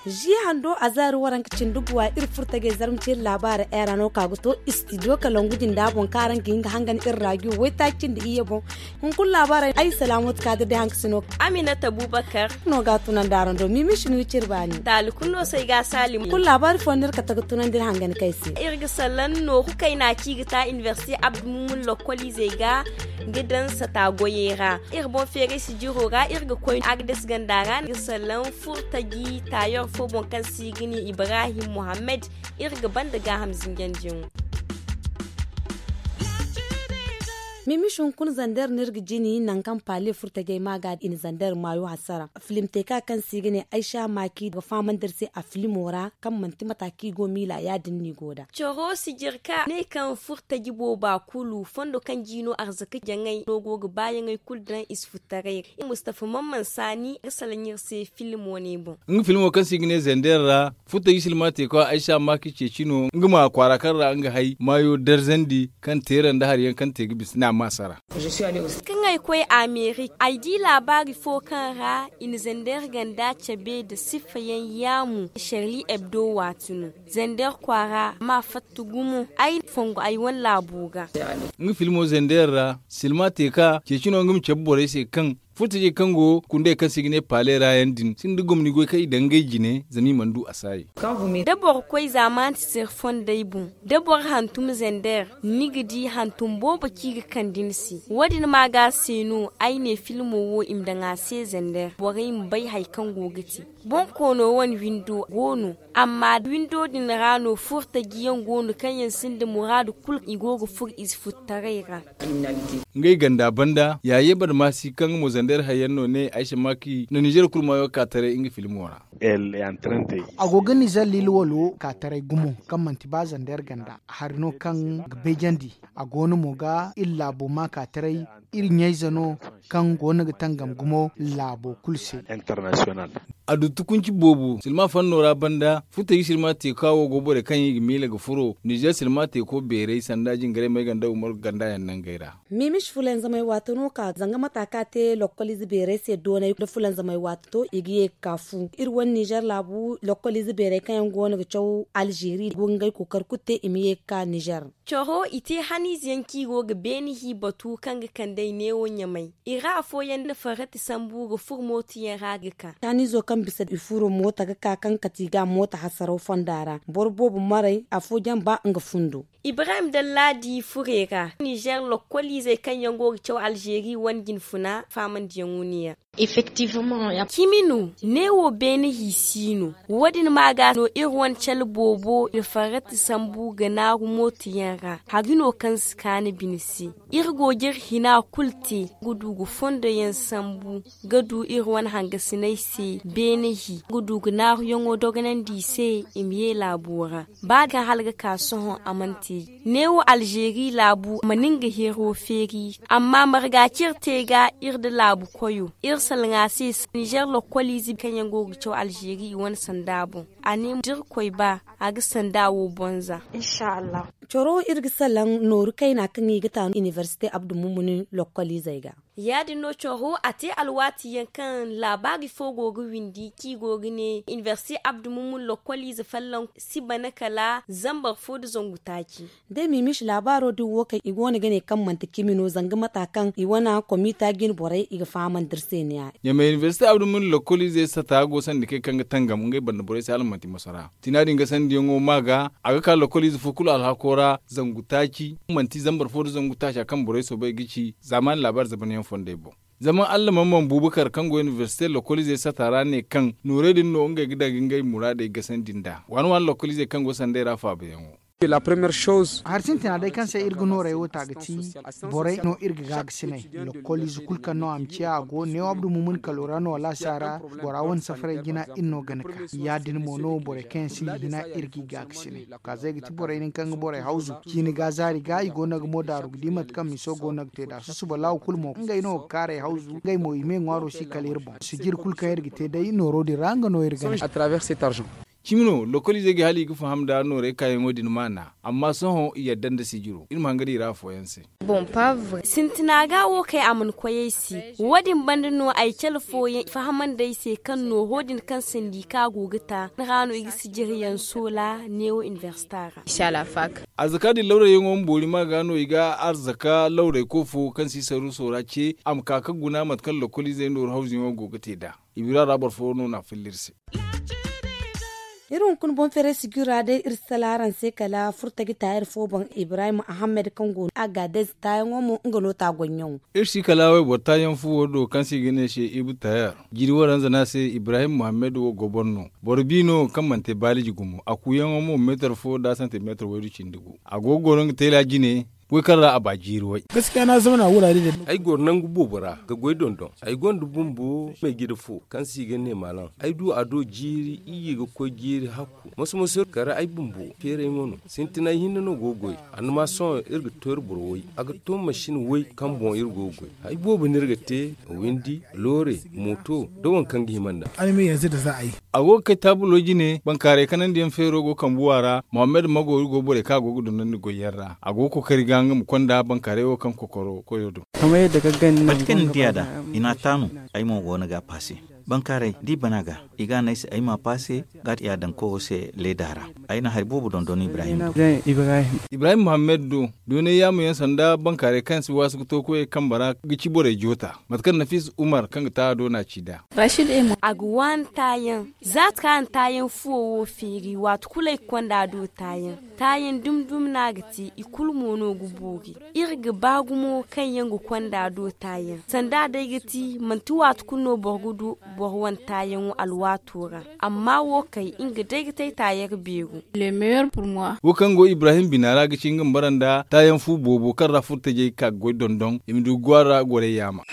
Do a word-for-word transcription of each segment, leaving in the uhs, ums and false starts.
Zi hando a zaari waranka cindi buwa iri furtajey zarma ceeri laabaara era no ka ga to istidiyo kalangu din da boŋ kaŋ araŋ ga hin ga hangan iri raajiyo waytaaci cindi iyye boŋ. Hunkuna laabaarey ay salaamooti kaadir day haŋ ka si no. Aminata bubakar no ga a tunandi araŋ do mimi si no iri ciri baani taali kulu no se ay ga a saali hunkuna laabaari fooyaŋ no iri kate ga tunandi iri hangan kay se. Iri ga sallaŋ nooru kayna kaŋ i ga ta inibersite abdu mumun lokkoliizey ga ga daŋ sata goyey ra. Iri boŋ feeray sijiro ra iri ga koy agades ganda ra ga sallaŋ furtaji taayor fo boŋ kaŋ se i ga ne ibrahim muhammad. Iri ga banda gaaham zinjandiyaŋo. Mimiš hunkuna zander no iri ga jini nangu kaŋ paale furtajey ma ga i na zander maayo hasara filim teeka kaŋ se i ga ne aysa maaki ga fahamandi iri se a filimo ra kaŋ manti mata kaŋ i go miila ya- din no i go nd'a. Coro sijirka ne kaŋ furtaji booba kulu fondo kaŋ jiino arzaka jaŋay no go ga baayaŋey kulu daŋ i si futtaray ra. Mustafa mamman saani ga salaŋ iri se filimo ne boŋ. Nga filmo kaŋ se i ga ne zander ra furtaji silma teeko aysa maaki ceeci no nga ma kwaara kaŋ ra nga hay maayo darzandi kaŋ teera nda hari yaŋ kaŋ te ga bisa no a ma sara. Kaŋ ay koy amerik ay di laabaari fo kaŋ ra i na zander ganda cabe nda siffa yaŋ yaamu sharli ebdo waati no. Zander kwaara ma fatta gumo ay fongo ay wane laabo ga. Nga filmo zander ra silma teeka ceeci no nga ma cabe borey se kaŋ furtajey kaŋ go kundey kaŋ se i ga ne paale ra yaŋ din sinda gomni goy kaŋ i daŋ ngey jine zama i mana du a saayi. Da boro koy zaamaani sisir fondey boŋ da boro hantum zander ni ga di hantum boobo kaŋ i ga kande ni se. Wo- din ma ga se no ay ne filmo wo i ma daŋ a se zander borey ma bay hari kaŋ go ga te. Boŋ koono wane windo go no amma windo din ra no furtaji yaŋ go no kaŋ yaŋ sinda muraadu kulu i go ga furo i si furtaray ra. Ngey ganda banda yaaye barmaasi kaŋ mo zander hayyaŋ no ne aysa maaki na nizer kulu maayo ka taray nga filmo ra. A go ga nizer liila walo ka taray gumo kaŋ manti ba zander ganda hari no kaŋ ga bayjandi a go no mo ga iri laabo ma ka taray iri ɲayze no kaŋ go no ga tangam gumo laabo kulu se. A du tukunci boobo silma fanno ra banda furtaji silma teeka wo go borey kaŋ i ga miila ga furo nizer silma teeko beeray sanda jingaray may ganda umaru ganda yaŋ nangey ra. Miimiši fulanzamay waati no ka zanga mata kaŋ a te lokkoliize beeray se doonay nda fulanzamay waati to i ga ye ga ka fu iri wane nizer laabu lokkoliize beeray kaŋ yaŋ go no ga caw alzeeri go ga ngey kookari kulu te i ma ye ga ka nizer. Coro i te haniize yaŋ kaŋ i go ga beene hi batu kaŋ ga kande ay neewo ɲamay i ra afooyaŋ na farrati sambu ga furo mooto yaŋ ra ga ka. Haniizo kaŋ bisa i furo mooto ga ka kaŋ kate i ga mooto hasaraw fonda ra boro boobo maray afooyaŋ ba nga fundo. Ibrahim dallaadi furey ra nizer lokkoliizey kaŋ yaŋ go ga caw alzeeri wane jinfuna faamandiyaŋo no yaŋ. Cimi no neewo beene hi si no. Wo- din ma ga no iri wane cale boobo i na farrati sambu ga naaru mooto yaŋ ra hari no kaŋ si kaanu bine se. Iri go ga iri hina kulu te ga du ga fondo yaŋ sambu ga du iri wane hangasiney se beene hi ga du ga naaruyaŋo dogonandi i se i ma ye laabo ra. Ba kaŋ hala ga ka sohõ a mana te neewo alzeeri laabu ma nin ga hero feeri amma marga kaŋ iri te ga iri nda laabu koyo iri salaŋ a se nizer lokkoliize kaŋ yaŋ go ga caw alzeeri i wane sanda boŋ. A ne da iri koy ba a ga sanda wo bonza. Coro iri ga salaŋ nooru kayna kaŋ i ga ta inibersite abdu mumuni lokkoliizey ga. Ya- din no coro a te alwaati yaŋ kaŋ laabaari fo go ga windi kaŋ i go ga ne inibersite abdu mumuni lokkoliize folloŋ si bana kala zambar fo nda zangu taaci. Da i ma i miisi laabaaro din wo kaŋ i go no ga ne kaŋ manti cimi no zanga mata kaŋ i wane komiita jine borey i ga fahamandi iri se ne- ya. Ɲamay inibersite abdu mumuni lokkoliizey sata go sanda kay kaŋ ga tangam ngey banda borey se hala manti masara. Tina din gasandiyaŋo ma ga a ga ka lokkoliize fo kulu alhako ra zangu taaci manti zambar fo nda zangu taaca kaŋ borey soobay ga ci zaamaani laabaari zabanyaŋ fondey boŋ. Zama allah mamman bubakar kaŋ go inibersite lokkoliizey sata ra ne kaŋ noorey din no ngey ga daŋ ga ngey muraadey gasandi nd'a waani waani lokkoliizey kaŋ go sandey ra faabayaŋo. Hari sintina day kaŋ se iri ga nooray wo ta ga ti borey no iri ga gaagasinay. Lokol ize kulu kaŋ no a ma ciya a go neewo abdu mumun kalo ra no wala a si a ra. Bora wane safaray jina iri no gana ka ya- din mo no borey kaŋ yaŋ sinda hina iri g'i gaagasinay. Kaazey ga ti borey din kaŋ ga borey hawzu ciini ga zaari ga i go no ga mo daaru ga di mate kaŋ miso go no ga te nd'a susuba laawo kulu mo ngey no ga kaaray hawzu ngey mo i me ŋwaaro si kala iri boŋ sijiri kulu kaŋ iri ga te day nooro din ra nga no iri gana. Cimi no lokoliizey ga hala i ga faham nda noorey kaayaŋo din maana. Amma sohõ i yadda nda sijiro iri ma hangan i ra afooyaŋ se. Sintina ga wo kay a mana koy ay se. Wo- din banda no ay cala fooyaŋ fahamandi ay se kaŋ nooro din kaŋ sandi kaŋ a go ga ta ni ra no i ga sijiriyaŋ soola neewo inibersita ra. Arzaka din lawrayyaŋo ma boori ma ga no i ga arzaka lawray koofo kaŋ si saru soora ce a ma ka ga guna mate kaŋ lokoliizey nooru hawzuyaŋo go ga te nd'a. I bira ra boro fo no n'a filla iri se. Iri hunkuna boŋ feeray sijira day iri si sala araŋ se kala furtaji taayar fo boŋ ibrahim ahammed kaŋ go no a ga day taayaŋo mo nga no ta goyyaŋo. Iri si kala wayboro taayaŋ fo wo do kaŋ se i ga ne se ibu taayar. Jiiri waranza no a se ibrahim muhammed wo goboro no. Boro bi no kaŋ mana te baaliji gumo a kuuyaŋo mo meetar fo nda santimeetar waydu cindi gu. A go ga goro nga teela jine. Way kaŋ ra a ba jiiri way. Ay goro nangu boobo ra ga goy dondon. Ay gonda bumbo meejida fo kaŋ se i ga ne maalaŋ. Ay du a do jiiri iyye ga koy jiiri hakku moso moso kala ay bumbo feerayŋo no. Sintinay hinne no go ga goy. Annama sohõ iri ga to iri boro way. A ga to masin way kaŋ boŋ iri go ga goy. Hay boobo no iri ga te. Windi, loore, mooto, nda waŋ kaŋ ga hima nd'a. A go ga kay taabulo jine bankaaray kanandiyaŋ feero go kambuwa ra muhammad mago iri go borey kaŋ a go ga dondon nda goyyaŋ ra a go ga kookari ga nga ma konda bankaaray wo kaŋ kokoro koyo do. Mate kaŋ ni diya da i n'a taanu. Ay mo go no ga a paase. Bankaaray da i bana ga i ga a ne ay se ay m'a paase. Ga a daŋ koyo se leeda ra. Ay na hari boobo dondon ibrahim do. Ibrahim muhammad do doonay yaamu yaŋ sanda bankaaray kaŋ si waasu ga to koyey kambe ra ga ci borey joota. Mate kaŋ nafis umar kaŋ ga ta a do no a ci nd'a. A ga waani taayaŋ. Za kaŋ a na taayaŋ fuwo wo feeri waati kulu ay ga konda a do taayaŋ. Taayaŋ dumi dumi no a ga te i kulu mo no ga boori. Iri ga ba gumo kaŋ yaŋ ga konda a do taayaŋ sanda day ga ti manti waati kulu no boro ga du boro wane taayaŋo alwaato ra. Amma wo kay nga day ga te ay taayar beero. Wo kaŋ go ibrahim bina ra ga ci nga ma bara nda taayaŋ fu boobo kaŋ ra furtajey ka ga goy dondon i ma du ga gwaara gorey yaama.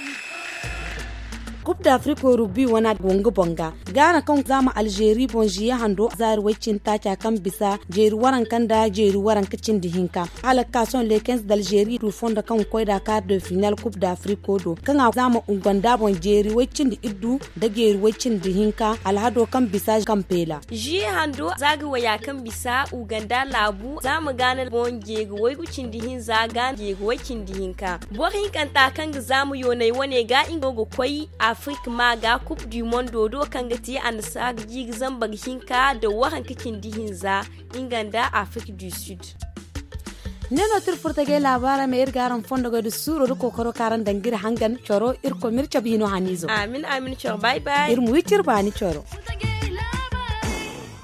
Kub da afriko rugbi wana go nga boŋ ga gaana kaŋ zaama alzeeri boŋ ziye hando zaari way cindi taaca kaŋ bisa jeeri waranka nda jeeri waranka cindi hinka. Hala ga ka sohõ leekens da alzeeri du fondo kaŋ ga koy da kaar de final kub da afriko do kaŋ a zaama uganda boŋ jeeri way cindi iddu nda jeeri way cindi hinka alhado kaŋ bisa kampeela. Ziye hando za ga waya kaŋ bisa uganda laabu zaama gaana boŋ jeeri waygu cindi hinza gaana jeeri way cindi hinka. Boro hinkanta kaŋ ga zaama yoonay wane ga nga go ga koy afirka ma ga kub du mondo do kaŋ ga te annasaara jiiri zambar hinka nda waranka cindi hinza nga nda afirka du sud. Ne no tira furtajey laabaara me iri ga araŋ fondo goy da suuro da kookaro kaŋ araŋ daŋ ga iri hangan coro irkoy ma iri cabe hino haniizo. Amin amin coro bay bay iri ma wi ciri baani coro.